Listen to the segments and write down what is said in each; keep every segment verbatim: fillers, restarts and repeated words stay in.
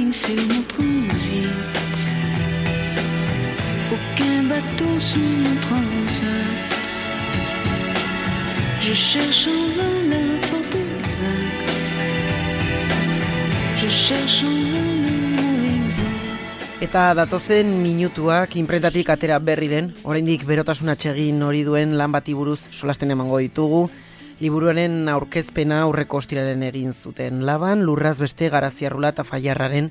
ligne sur mon transit. Aucun bateau sous mon transat. Je cherche en vain la porte exacte. Je cherche en vain le mot exact. Eta datozen minutuak inprentatik atera berri den, oraindik berotasun atsegin hori duen lan bati buruz solasten emango ditugu. Liburuaren aurkezpena aurreko ostiraren egin zuten Laban, Lurraz beste Garaziarrula eta Faiarraren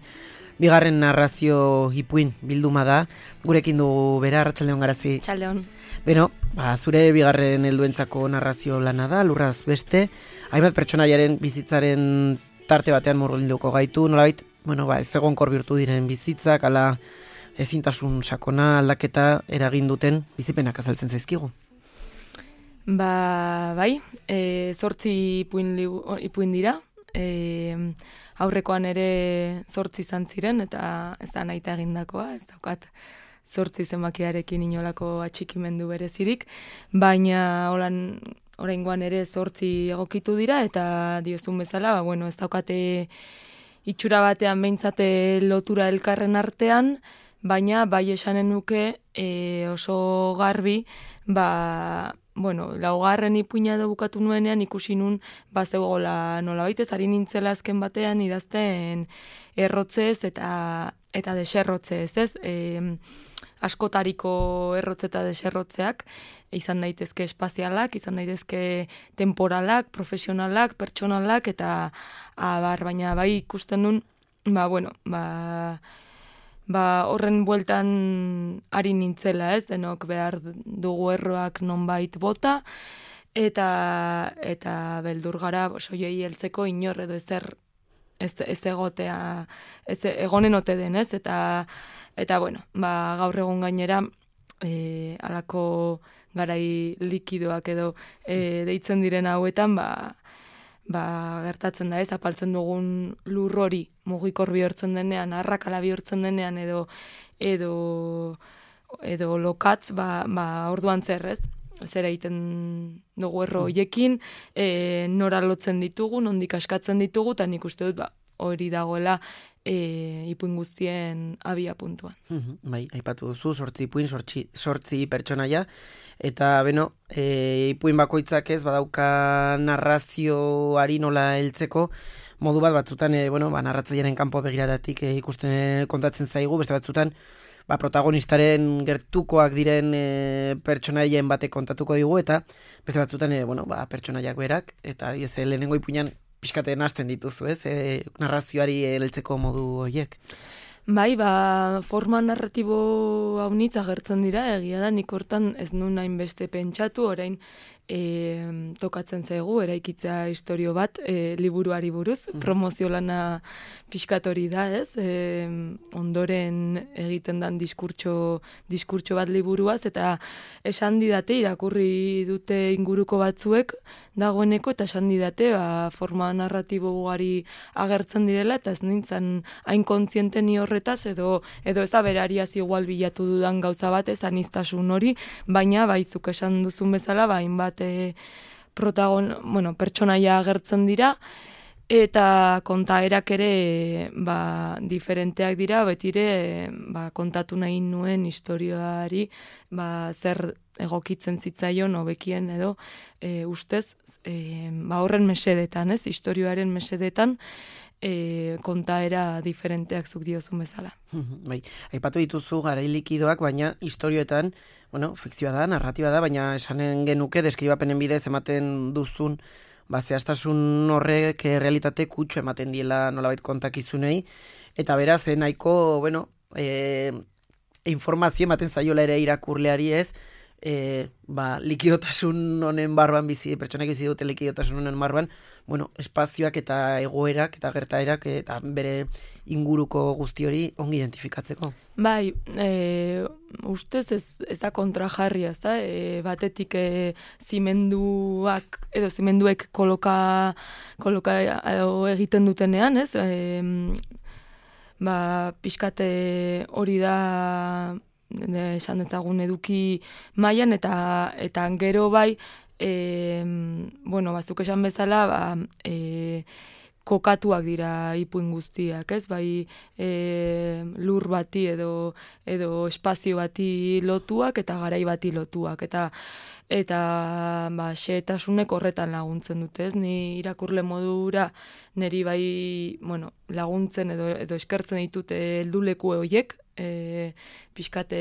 bigarren narrazio ipuin bilduma da. Gurekin dugu bera, Arratsaldeon Garazi. Txaldeon. Beno, ba, zure bigarren helduentzako narrazio lana da, Lurraz beste. Hainbat pertsonaiaren bizitzaren tarte batean murgilduko gaitu, nolabait, bueno, ba, ez egonkor bihurtu diren bizitzak, ala ezintasun sakona aldaketa eragin duten bizipenak azaltzen zaizkigu. Ba, bai, e, zortzi ipuin, ipuin dira, e, aurrekoan ere zortzi izan ziren, eta ez da nahita egindakoa, ez daukat zortzi zenbakiarekin inolako atxikimendu berezirik, baina holan, oraingoan ere zortzi egokitu dira, eta diozun bezala, ba, bueno, ez daukate itxura batean behintzate lotura elkarren artean, baina bai esanen nuke e, oso garbi, ba, bueno, laugarren ipuina edo bukatu nuenean ikusi nun bazegoela nolabait ez ari nintzela azken batean idazten errotzez eta eta deserrotzez, ez? E, askotariko errotze eta deserrotzeak izan daitezke espazialak, izan daitezke temporalak, profesionalak, pertsonalak eta abar, baina bai ikusten nun, ba, bueno, ba, ba horren bueltan ari nintzela, ez, denok behar dugu erroak nonbait bota, eta eta beldur gara soiei heltzeko inor edo ezer ez, ez egotea, ez egonen ote den, ez, eta, eta bueno, ba, gaur egun gainera, e, alako garai likidoak edo e, deitzen diren hauetan, ba, ba, gertatzen da ez, apaltzen dugun lur hori mugikor bihurtzen denean, arrakala bihurtzen denean, edo edo edo lokatz, ba, ba orduan zer ez, zer egiten dugu erro hoiekin, e, nora lotzen ditugu, nondik askatzen ditugu, eta nik uste dut, ba, hori dagoela e, ipuin guztien abia puntuan. Uhum, bai, aipatu duzu, sortzi ipuin, sortzi, sortzi pertsonaia, eta beno, e, ipuin bakoitzak ez, badauka narrazioari nola heltzeko, modu bat batzutan, e, bueno, ba, narratzailearen kanpo begiradatik e, ikusten kontatzen zaigu, beste batzutan, ba, protagonistaren gertukoak diren e, pertsonaien batek kontatuko digu, eta beste batzutan, e, bueno, ba, pertsonaiak berak, eta ez, lehenengo ipuinan pixkaten hasten dituzu, ez, e, narrazioari heltzeko modu horiek. Bai, ba, forma narratibo haunitz agertzen dira, egia da, nik hortan ez nun hainbeste pentsatu, orain e, tokatzen zaigu, eraikitzea istorio bat, e, liburuari buruz, mm. promozio lana pixkatori da, ez? E, ondoren egiten dan diskurtso, diskurtso bat liburuaz, eta esan didate, irakurri dute inguruko batzuek, dagoeneko, eta esan didate, ba, forma narratibo ugari agertzen direla, eta ez nintzen hain kontziente ni horretaz, edo, edo ez aberariaz igual bilatu dudan gauza bat, ez aniztasun hori, baina baizuk esan duzun bezala, bain bat e, protagon, bueno, pertsonaia agertzen dira, eta kontaerak ere ba, diferenteak dira, betire ba, kontatu nahi nuen historioari ba, zer egokitzen zitzaion hobekien edo e, ustez e, ba, horren mesedetan, ez, historioaren mesedetan e, kontaera diferenteak zuk diozun bezala. Bai, aipatu dituzu garai likidoak, baina historioetan, bueno, fikzioa da, narratiba da, baina esanen genuke deskribapenen bidez ematen duzun ba, zehaztasun horrek realitate kutxo ematen diela nolabait kontakizunei, eta beraz, eh, nahiko, bueno, eh, informazio ematen zaiola ere irakurleari ez, eh, ba, likidotasun honen barruan bizi, pertsonak bizi dute likidotasun honen barruan, bueno, espazioak eta egoerak eta gertaerak eta bere inguruko guzti hori ongi identifikatzeko. Bai, e, ustez ez, ez da kontrajarria, ez da, e, batetik e, zimenduak, edo zimenduek koloka, koloka edo egiten dutenean, ez, e, ba, pixkate hori da, esan dezagun eduki mailan eta, eta gero bai, E, bueno, bazuk esan bezala, ba, e, kokatuak dira ipuin guztiak, ez? Bai e, lur bati edo edo espazio bati lotuak eta garai bati lotuak eta eta ba xehetasunek horretan laguntzen dute, ez? Ni irakurle modura neri bai, bueno, laguntzen edo edo eskertzen ditut helduleku horiek, e, pixkate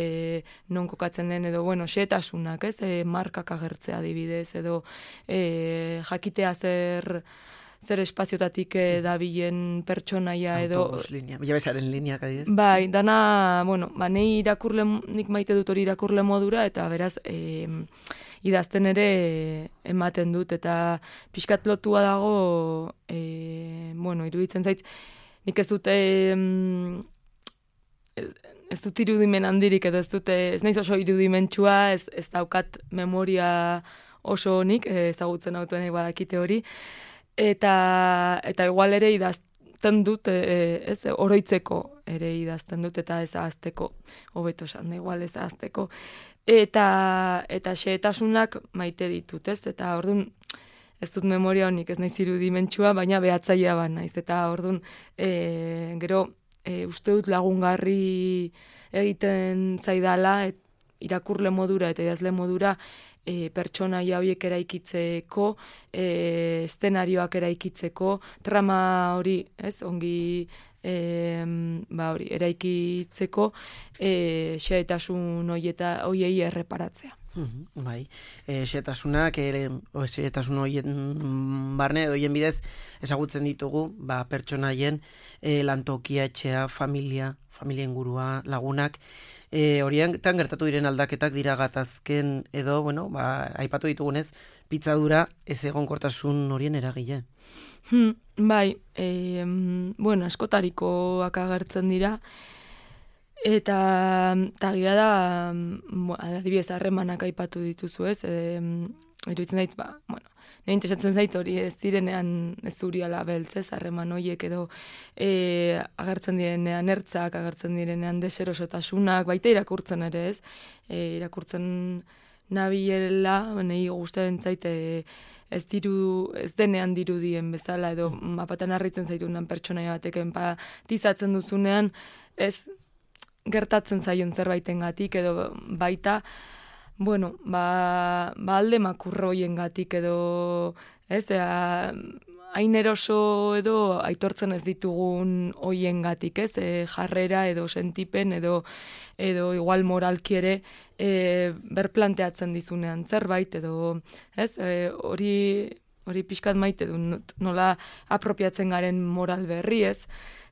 non kokatzen den edo bueno, xehetasunak, ez? E, markak agertzea adibidez edo e, jakitea zer zer espaziotatik eh, dabilen pertsonaia edo... Autobus linea, bilabezaren lineak adidez. Bai, dana, bueno, ba, nahi irakurle, nik maite dut hori irakurle modura, eta beraz, e, idazten ere ematen dut, eta pixkat lotua dago, e, bueno, iruditzen zait, nik ez dute... Ez, ez dut irudimen handirik, edo ez dute, ez naiz oso irudimentsua, ez, ez daukat memoria oso honik, ezagutzen autoenek badakite hori, Eta, eta igual ere idazten dut, e, ez, oroitzeko ere idazten dut, eta ez ahazteko, hobeto esan da, igual ez ahazteko. Eta, eta xehetasunak maite ditut, ez, eta orduan, ez dut memoria honik, ez naiz irudimentsua, baina behatzailea ba naiz, eta orduan, e, gero, e, uste dut lagungarri egiten zaidala, et, irakurle modura eta idazle modura, E, pertsonaia horiek eraikitzeko, e, eszenarioak eraikitzeko, trama hori, ez, ongi e, ba hori, eraikitzeko, e, xehetasun horiei erreparatzea. Mm-hmm, bai, e, xehetasunak, ere, xehetasun horien barne, horien bidez, ezagutzen ditugu, ba, pertsonaien e, lantokia, etxea, familia, familia ingurua, lagunak, E, horietan gertatu diren aldaketak dira gatazken edo, bueno, ba, aipatu ditugunez, pitzadura ez egonkortasun horien eragile. Hmm, bai, e, bueno, askotarikoak agertzen dira, eta tagia da, adibidez, harremanak aipatu dituzu ez, e, iruditzen zait, ba, bueno, nire interesatzen zait hori ez direnean ez zuriala beltz, ez, harreman horiek edo e, agertzen direnean ertzak, agertzen direnean deserosotasunak, baita irakurtzen ere ez, e, irakurtzen nabilela, nahi gustatzen zait, e, ez diru, ez denean dirudien bezala, edo mapatan harritzen zaitunan pertsonaia batek empatizatzen duzunean, ez gertatzen zaion zerbaitengatik edo baita, bueno, ba, ba alde makurroiengatik edo, ez, ea, hain eroso edo aitortzen ez ditugun hoiengatik, ez, e, jarrera edo sentipen edo edo igual moralki ere e, berplanteatzen dizunean zerbait edo, ez, e, hori hori pixkat maite du nola apropiatzen garen moral berri, ez,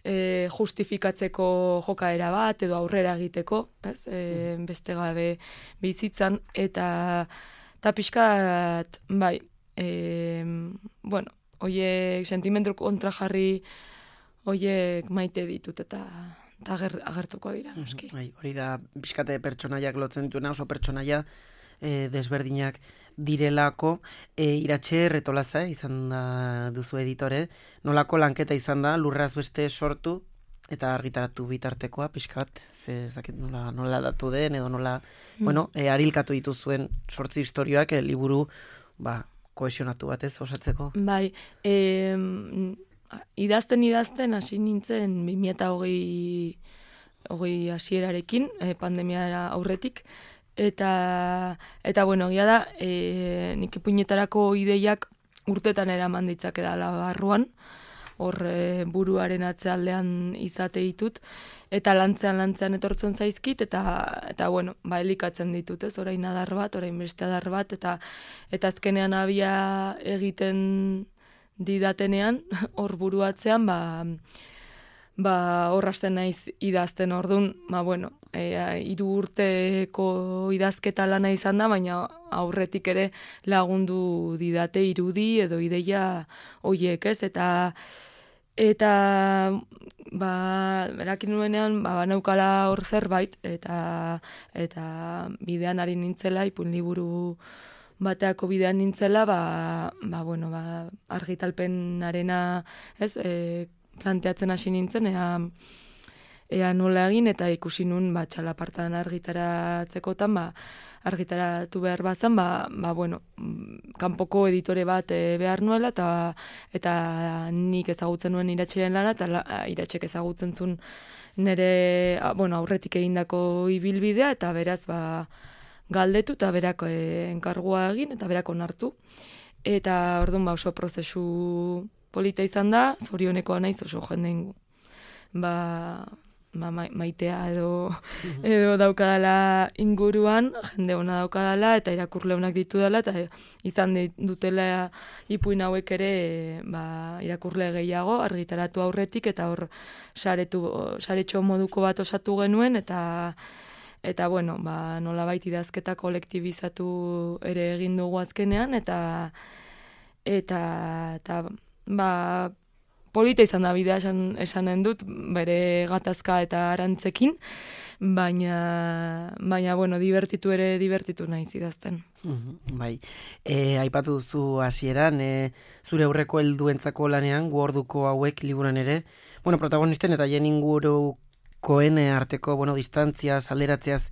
E, justifikatzeko jokaera bat edo aurrera egiteko, ez? E, beste gabe bizitzan eta ta pixkat, bai, e, bueno, hoiek sentimendu kontra jarri hoiek maite ditut eta eta ager, agertuko dira, noski. Bai, hori da pixkate pertsonaiak lotzen dituena, oso pertsonaia e, desberdinak direlako, e, Iratxe Retolaza izan da duzu editore, nolako lanketa izan da, lurraz beste sortu eta argitaratu bitartekoa, pixkat, ze ez dakit nola, nola datu den, edo nola, mm. bueno, e, arilkatu dituzuen sortzi istorioak, e, liburu, ba, kohesionatu batez osatzeko. Bai, e, idazten idazten hasi nintzen bi mila hogei hogei hasierarekin, e, pandemiara aurretik, Eta, eta bueno, egia da, e, nik ipuinetarako ideiak urtetan eraman ditzake dela barruan, hor e, buruaren atzealdean izate ditut, eta lantzean lantzean etortzen zaizkit, eta, eta bueno, ba, elikatzen ditut, ez, orain adar bat, orain beste adar bat, eta, eta azkenean abia egiten didatenean, hor buruatzean, ba, ba, hor hasten naiz idazten ordun, ba, bueno, e, hiru urteko idazketa lana izan da, baina aurretik ere lagundu didate irudi edo ideia hoiek, ez, eta eta ba, berakin nuenean, ba, banaukala hor zerbait, eta eta bidean ari nintzela, ipun liburu bateako bidean nintzela, ba, ba, bueno, ba, argitalpenarena, ez, e, planteatzen hasi nintzen, ea, ea nola egin, eta ikusi nun, ba, txalapartan argitaratzekotan, ba, argitaratu behar bazan, ba, ba, bueno, kanpoko editore bat e, behar nuela, eta, eta nik ezagutzen nuen iratxeren lana, eta la, iratxek ezagutzen zuen nire, bueno, aurretik egindako ibilbidea, eta beraz, ba, galdetu, eta berak e, enkargua egin, eta berak onartu. Eta orduan, ba, oso prozesu polita izan da, zorionekoa naiz oso jendeen ba, ba, maitea edo, edo daukadala inguruan, jende ona daukadala, eta irakurle onak ditu dela, eta izan dutela ipuin hauek ere ba, irakurle gehiago, argitaratu aurretik, eta hor saretu, saretxo moduko bat osatu genuen, eta eta bueno, ba, nolabait idazketa kolektibizatu ere egin dugu azkenean, eta eta, eta ba, polita izan da bidea esan, esanen dut, bere gatazka eta arantzekin, baina, baina bueno, divertitu ere divertitu naiz idazten. Mm-hmm, bai, e, aipatu duzu hasieran, e, zure aurreko helduentzako lanean, gu orduko hauek liburan ere, bueno, protagonisten eta jen inguru koen arteko, bueno, distantzia, alderatzeaz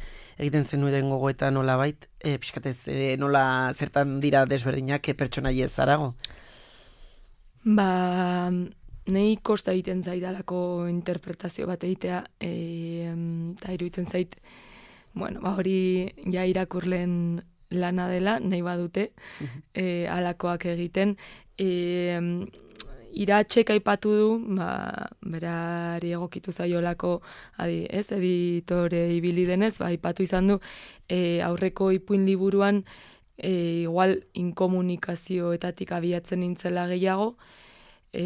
egiten zenuen gogoeta nola bait, e, pixkatez, e, nola zertan dira desberdinak e, pertsonaie zarago? Ba, nahi kosta egiten zaidalako interpretazio bat egitea, eta e, iruditzen zait, bueno, ba, hori ja irakurleen lana dela, nahi badute, e, alakoak egiten, e, Iratxek aipatu du, ba, berari egokitu zaiolako, adi, ez, editore ibili denez, ba, aipatu izan du, e, aurreko ipuin liburuan, e, igual inkomunikazioetatik abiatzen nintzela gehiago, e,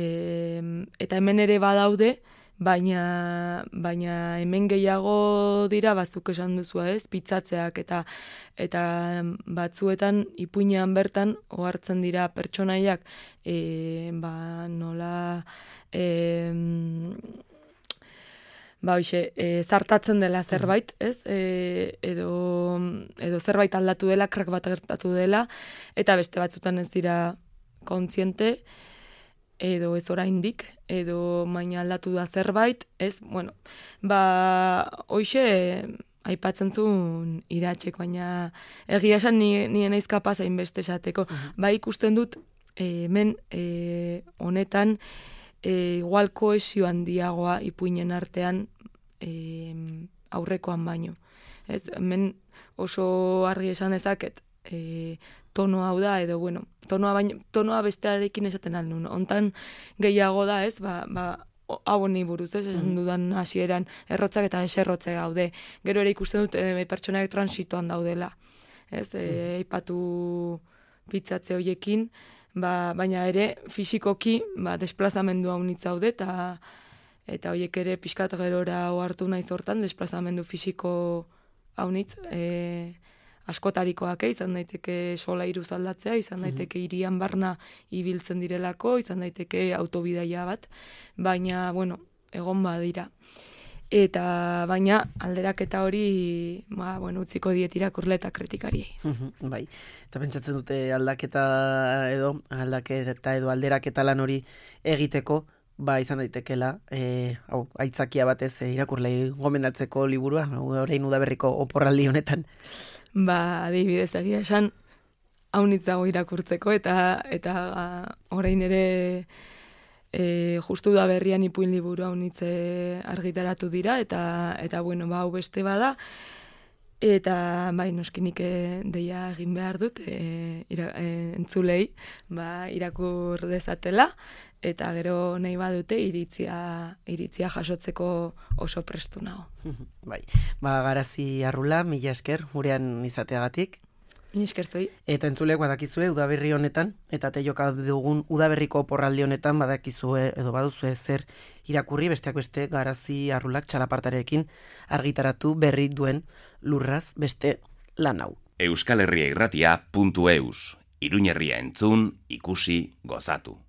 eta hemen ere badaude, baina, baina hemen gehiago dira, bazuk esan duzua ez, pitzatzeak, eta, eta batzuetan ipuinean bertan ohartzen dira pertsonaiak, e, ba, nola, e, ba, hoxe, e, zartatzen dela zerbait, ez? E, edo, edo zerbait aldatu dela, krak bat gertatu dela, eta beste batzutan ez dira kontziente, edo ez oraindik, edo maina aldatu da zerbait, ez, bueno, ba, hoxe, aipatzen zuen Iratxek, baina egia esan ni, nien naiz kapaz hainbeste esateko. Uh-huh. Ba, ikusten dut, e, hemen, e, honetan, e, igual koesio handiagoa ipuinen artean e, aurrekoan baino. Ez, hemen oso argi esan dezaket, e, tono hau da, edo, bueno, tonoa, baina, tonoa bestearekin esaten aldun. Hontan gehiago da, ez, ba, ba hau honi buruz, ez, esan dudan hasieran errotzak eta eserrotze gaude. Gero ere ikusten dut, e, pertsonak transitoan daudela. Ez, aipatu e, pitzatze hoiekin, ba, baina ere fisikoki, ba, desplazamendu haunitz daude, eta eta hoiek ere pixkat gerora ohartu naiz hortan, desplazamendu fisiko haunitz, e, askotarikoak, eh? Izan daiteke sola iruz aldatzea, izan daiteke hirian barna ibiltzen direlako, izan daiteke autobidaia bat, baina, bueno, egon badira. Eta, baina, alderaketa hori, ba, bueno, utziko diet irakurle eta kritikariei. Bai, eta pentsatzen dute aldaketa edo, aldaketa edo alderaketa lan hori egiteko, ba, izan daitekela, e, hau, aitzakia batez e, irakurlei gomendatzeko liburua, orain udaberriko oporraldi honetan. Ba, adibidez egia esan, haunitzago irakurtzeko, eta eta orain ere e, justu da berrian ipuin liburu haunitze argitaratu dira, eta, eta bueno, ba, hau beste bada, eta bai, noskinik deia egin behar dut, e, ira, e, entzulei, ba, irakur dezatela, eta gero nahi badute iritzia, iritzia jasotzeko oso prestu nago. Bai, ba, Garazi Arrula, mila esker, gurean izateagatik. Mila esker zoi. Eta entzulek badakizue udaberri honetan, eta teioka dugun udaberriko oporraldi honetan badakizue edo baduzue zer irakurri, besteak beste Garazi Arrulak txalapartarekin argitaratu berri duen Lurraz beste lan hau. Euskal Herria Irratia puntu eus. Iruña Herria entzun, ikusi, gozatu.